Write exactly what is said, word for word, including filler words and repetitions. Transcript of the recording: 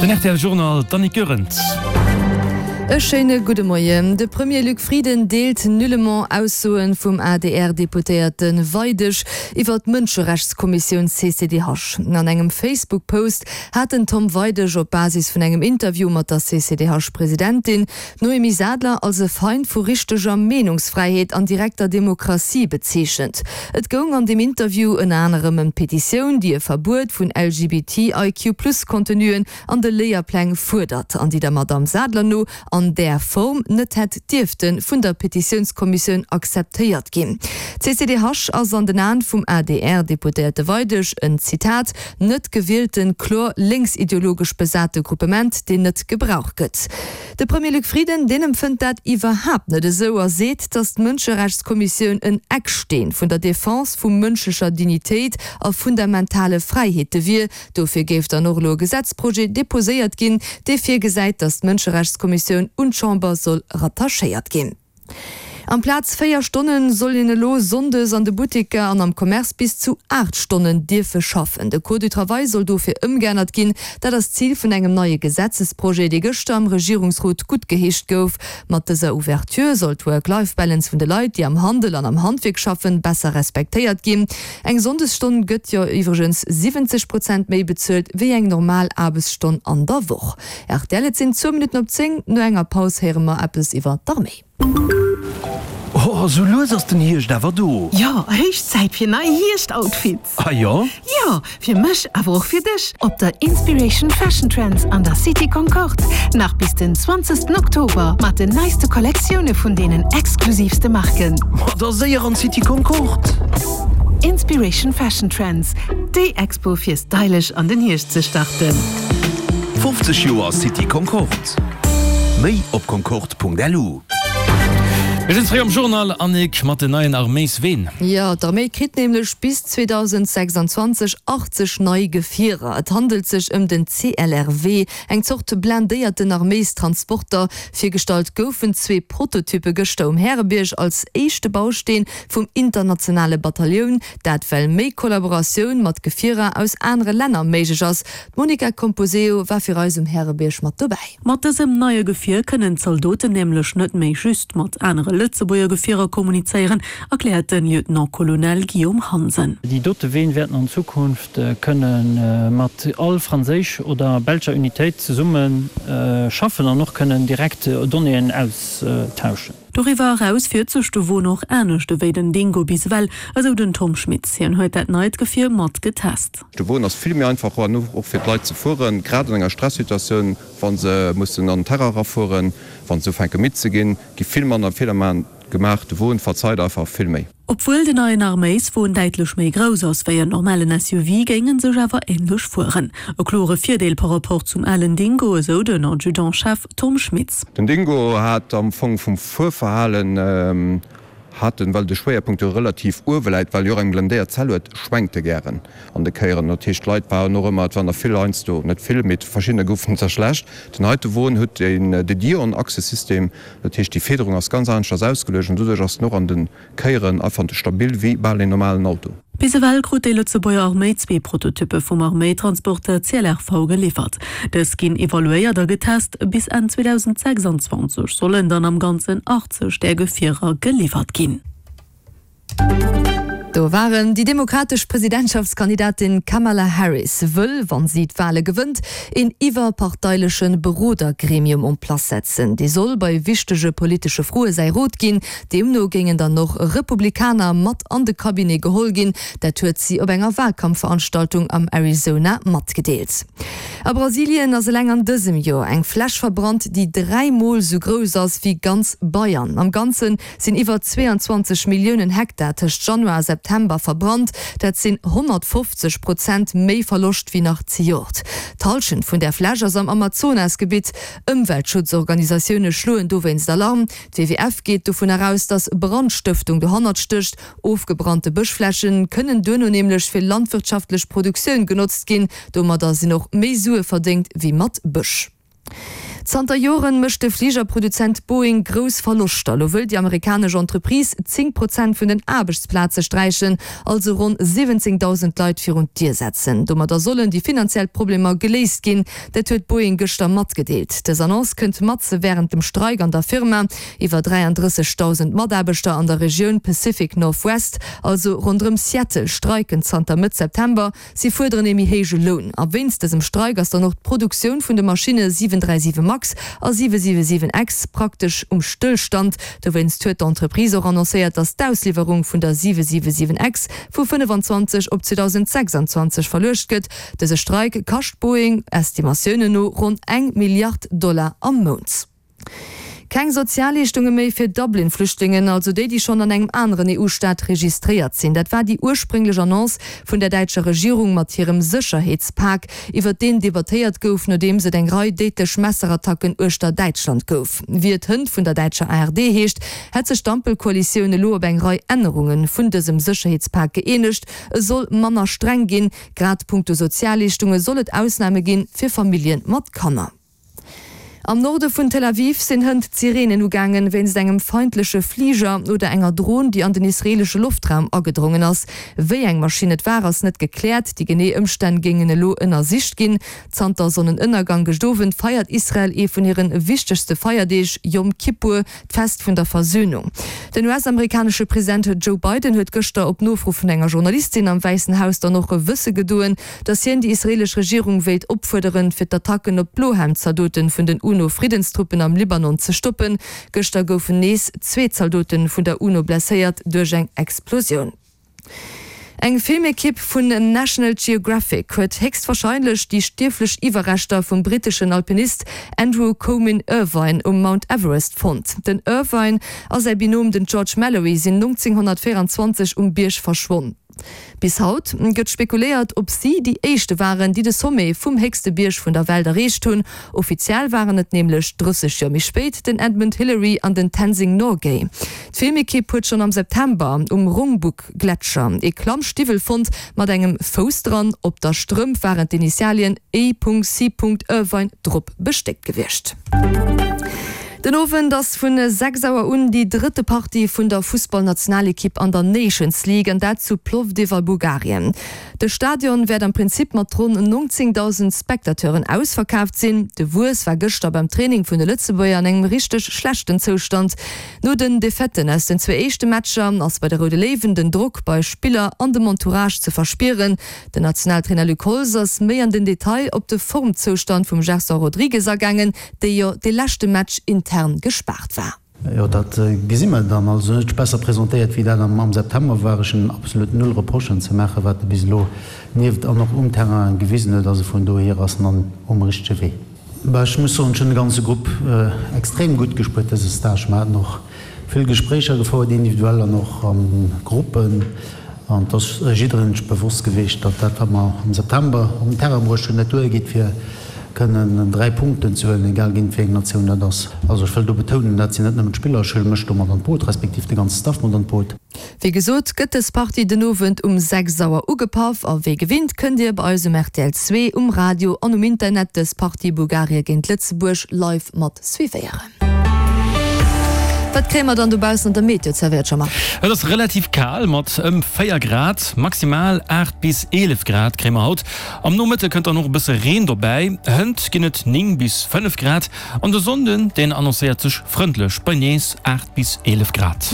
Den R T L Journal, d'Annick Goerens. E schéine gudde Moien. De Premier Luc Frieden deelt nullement Aussoen vum A D R-Deputéierte Weidig iwwer d'Mënscherechtskommissioun C C D H. An engem Facebook-Post hat den Tom Weidig op Basis vun engem Interview mat der C C D H-Presidentin Noémie Sadler als e Feind vu richteger Meenungsfräiheet an direkter Demokratie bezeechent. Et goung an dem Interview ënner anerem ëm d'Petitioun, déi e Verbuet vun L G B T I Q plus Contenuen an de Léierpläng fuerdert, an déi der Madame Sadler no an där Form net hätt dierfte vun der Petitiounskommissioun akzeptéiert ginn. C C D H ass an den Aen vum A D R-Deputéierte Weidig en Zitat net gewielten, kloer linksideologesch besate Gruppement, deen net gebraucht gëtt. De Premier Luc Frieden, deen empfënnt dat iwwerhaapt net esou a seet, datt d'Mënscherechtskommissioun en Ecksteen vun der Defense vu mënschlecher Dignitéit a fundamentale Fräiheete wier. Dofir géif dann och elo e Gesetzprojet deposéiert ginn, dee virgesäit, datt d'Mënscherechtskommissioun un d'Chamber soll rattachéiert ginn. Amplaz véier Stonnen soll een elo sonndes an de Butiker an am Commerce bis zu aacht Stonnen dierfe schaffen. De Code du Travail soll dofir ëmgeännert ginn. Dat ass Zil vun engem neie Gesetzesprojet, dee gëschter am Regierungsrot gutt geheescht gouf. Mat dëser Ouverture soll d'Work-Life-Balance vun de Leit, déi am Handel an am Handwerk schaffen, besser respektéiert ginn. Eng Sonndesstonn gëtt jo iwwregens siwwenzeg Prozent méi bezuelt wéi eng normal Aarbechtsstonn an der Woch. R T L, et sinn zwou Minutten op zéng. No enger Paus héiere mer eppes iwwer d'Arméi. Oh, so lues ass den Hierscht awer do. Ja, héich Zäit fir nei Hierscht-Outfits. Ah ja? Ja, fir mech, awer och fir dech. Op der Inspiration Fashion Trends an der City Concorde. Nach bis den zwanzegsten Oktober mat den neiste Kollektioune vun deenen exklusivste Marken. Ma da séier an City Concorde. Inspiration Fashion Trends, déi Expo fir stylisch an den Hierscht ze starten. fofzeg Joer City Concorde. Méi op concorde punkt L U. Wir sind zréck am Journal, Annick, mat den neien Arméisween. Ja, d'Arméi kritt nämlech bis zweitausendsechsundzwanzeg achtzeg nei Gefierer. Et handelt sech ëm den C L R W, eng Zort blindéierten Arméistransporter. Virgestallt goufen zwee Prototype gëschter um Härebierg als éischte Bausteen vum internationale Bataillon, dat well méi Kollaboratioun mat Gefierer aus anere Länner méiglech ass. D'Monica Composeo war fir eis um Härebierg mat dobäi. Mat dësem neie Gefier kënnen d'Zaldoten nämlech net méi just mat anere Lëtzebuerger Gefierer kommunizéieren, erkläert den Lieutenant-Colonel Guillaume Hansen. Déi dote Ween wäerten an Zukunft kënne mat all franséisch oder belscher Unitéit zesumme schaffen an och kënnen direkt Donnéeën austauschen. Doriwwer eraus fiert sech de Won och anescht ewéi den Dingo bis ewell, esou den Tom Schmitz. Hien huet dat neit Gefier mat getest. De Won ass vill méi einfach an och fir d'Leit ze fueren, grad an enger Stresssituatioun, wann se mussen an den Terrain rafueren, wann se ufänke midd ze ginn, gi vill manner Feeler gemaach. De Won verzeit einfach vill méi. Obwuel den neien Arméiswon däitlech méi grouss ass wéi en normalen S U V, géingen sech awer ähnlech fueren. E klore Virdeel par rapport zum alen Dingo, esou den Adjudant-Chef Tom Schmitz. Den Dingo hat am Fong vum Fuerverhalen, hat den, well de Schwéierpunkt jo relativ uewe läit, well jo och eng blindéiert Zell huet, schwenkt e gären an de Kéieren. Dat heescht, d'Leit waren och ëmmer, et waren der vill heiansdo, net vill, mee verschiddene goufen der schlecht. Den heite Won huet den, de Dion-Achsesystem, dat heescht, déi Federung ass ganz anescht ausgeluecht und doduerch ass en och an den Kéieren einfach stabil wéi bal en normalen Auto. Bis ewell krut déi Lëtzebuerger Arméi zwee Prototype vum Arméitransporter C L R V geliefert. Dës ginn evaluéiert a getest. Bis Enn zweitausendsechsundzwanzeg sollen dann am Ganzen achtzeg där Gefierer geliefert ginn. Do waren déi demokratesch Presidentschaftskandidatin Kamala Harris wëll, wann si d'Wale gewënnt, een iwwerparteileche Berodergremium en place setzen. Dee soll bei wichtege politesche Froe säi Rot ginn. Deemno géingen dann och Republikaner mat an de Cabinet geholl ginn. Dat huet si op enger Wahlkampfveranstaltung am Arizona matgedeelt. A Brasilien ass eleng an dësem Joer eng Fläch verbrannt, déi dräimol sou grouss ass wéi ganz Bayern. Am Ganzen sinn iwwer zweiundzwanzeg Milliounen Hektar tëscht Januar a September verbrannt. Dat sinn honnertfofzeg Prozent méi Verloscht wéi nach zejoert. D'Hallschent vun der Fläch ass am Amazonasgebiet. Ëmweltschutzorganisatioune schloen dowéinst Alarm. D'W W F geet dovun eraus, datt Brandstëftung dohannert stécht. Ofgebrannte Bëschflächen kënnen duerno nämlech fir landwirtschaftlech Produktioun genotzt ginn. Domadder sinn och méi Sue verdéngt wéi mat Bësch. Zanter Joren mécht de Fligerproduzent Boeing grouss Verloschter. Elo wëll déi amerikanesch Entreprise zéng Prozent vun den Aarbechtsplaze sträichen, also ronn siwwenzéngdausend Leit virun d'Dier setzen. Domadder sollen déi finanziell Problemer geléist ginn. Dat huet Boeing gëschter matgedeelt. Dës Annonce kënnt matze wärend dem Streik an der Firma. Iwwer dräiandrëssegdausend Mataarbechter an der Regioun Pacific Northwest, also ronderëm Seattle, streiken zanter Mëtt September. Si fuerderen ee méi héije Loun. A wéinst dësem Streik ass dann och d'Produktioun vun de Maschinne siwen dräi siwe Max a siwe siwe siwen X praktesch um Stëllstand. Dowéinst huet d'Entreprise och annoncéiert, datt d'Ausliwwerung vun der siwe siwe siwen X vu fënnefanzwanzeg op zweedausendsechsanzwanzeg verluecht gëtt. Dëse Streik kascht Boeing Estimatiounen no ronn eng Milliard Dollar am Mount. Keng Sozialleeschtunge méi fir Dublin-Flüchtlingen, also déi, déi schonn an engem aneren E U-Staat registréiert sinn. Dat war déi ursprénglech Annonce vun der däitscher Regierung mat hirem Sécherheetspak, iwwert deen debattéiert gouf, nodeems et eng Rei déidlech Messerattacken uechter Däitschland gouf. Wéi et hënt vun der däitscher A R D heescht, hätt sech d'Ampelkoalitioun elo op eng Rei Ännerunge vun dësem Sécherheetspak gëeenegt. E soll manner streng ginn, grad punkto Sozialleeschtunge soll et Ausname ginn fir Famillje mat Kanner. Am Norde vun Tel Aviv sinn hënt d'Sireenen ugaangen, wéinst engem feindleche Fliger oder enger Dron, déi an den israeelesche Loftraum agedrongen ass. Wéi eng Maschinn et war, ass net gekläert. Déi genee Ëmstänn géingen elo ënnersicht ginn. Zanter Sonnenënnergang gëscht Owend feiert Israel ee vun hire wichtegste Feierdeeg, Yom Kippur, d'Fest vun der Versönung. Den U S-amerikanesche President Joe Biden huet gëschter op Nofro vun enger Journalistin am Wäissen Haus dann och wësse gedoen, datt hien déi israeelesch Regierung wéilt opfuerderen, fir d'Attacken op d'Blohemd-Zaldote vun den UNO-Friddenstruppen am Libanon ze stoppen. Gëschter goufen nees zwee Zaldote vun der UNO blesséiert duerch eng Explosioun. Eng Filmekipp vun National Geographic huet héchstwarscheinlech déi stierflech Iwwerreschter vum britteschen Alpinist Andrew Comyn Irvine um Mount Everest fonnt. Den Irvine a säi Binom den George Mallory sinn nonzénghonnertvéieranzwanzeg um Bierg verschwonn. Bis haut gëtt spekuléiert, ob si déi éischte waren, déi de Sommet vum héchste Bierg vun der Welt erreecht hunn. Offiziell waren et nämlech drësseg Joer méi spéit den Edmund Hillary an den Tenzing Norgay. D'Filmekipp huet schonn am September um Rongbuk-Gletscher ee Klammstiwwel fonnt mat engem Fouss dran. Op der Strëmp waren d'Initialien E C. Irvine drop bestéckt gewiescht. Den Owend ass vun sechs Auer un déi drëtte Partie vun der Fussballnationalekipp an der Nations League, an dat zu Plovdiv a Bulgarien. De Stadion wäert am Prinzip mat ronn nonzéngdausend Spectateuren ausverkaaft sinn. De Wues war gëschter beim Training vun de Lëtzebuerger an engem richteg schlechten Zoustand. No den Defaiten aus den zwee éischte Matcher ass bei de Roude Léiwen den Drock bei Spiller an dem Entourage ze verspieren. Den Nationaltrainer Luc Holtz ass méi an den Detail op de Formzoustand vum Gerson Rodrigues agaangen, dee jo de leschte Match intern gespaart war. Jo, dat gesi mer dann. Also net besser presentéiert wéi dat am September war. Ech hunn absolut null Reprochen ze maachen, wat e bis elo nieft an och um Terrain gewisen huet. Also vun dohier ass en an um richtege Wee. Bah, ech muss soen, ech hunn de ganze Grupp extrem gutt gespuert dëse Stage. Mer haten och vill Gespréicher gefouert, individuell an och a Gruppen. An et ass jiddereen sech bewosst gewiescht, datt dat, wat mer am September op den Terrain bruecht hunn, net duergeet, fir kënnen dräi Punkten ze huelen, egal géint wéi eng Natioun dat ass. Also ech wëll do betounen, dat sinn net nëmmen d'Spiller, ech huele mech do mat an d'Boot, respektiv de ganze Staff mat an d'Boot. Wéi gesot gëtt dës Partie den Owend um sechs Auer ugepaff a wéi gewinnt kënnt Dir bei eis um R T L zwee, um Radio an um Internet dës Partie Bulgarie géint Lëtzebuerg live mat suivéieren. Wat kréie mer dann dobaussen an der Meteo zerwéiert, Jean-Marc? Et ass relativ kal mat ëm véier Grad, maximal aacht bis eelef Grad kréie mer haut. Am Nomëtte kënnt dann och e bësse Reen dobäi. Hënt ginn et néng bis fënnef Grad an de Sonnden, deen annoncéiert sech frëndlech bei nees aacht bis eelef Grad.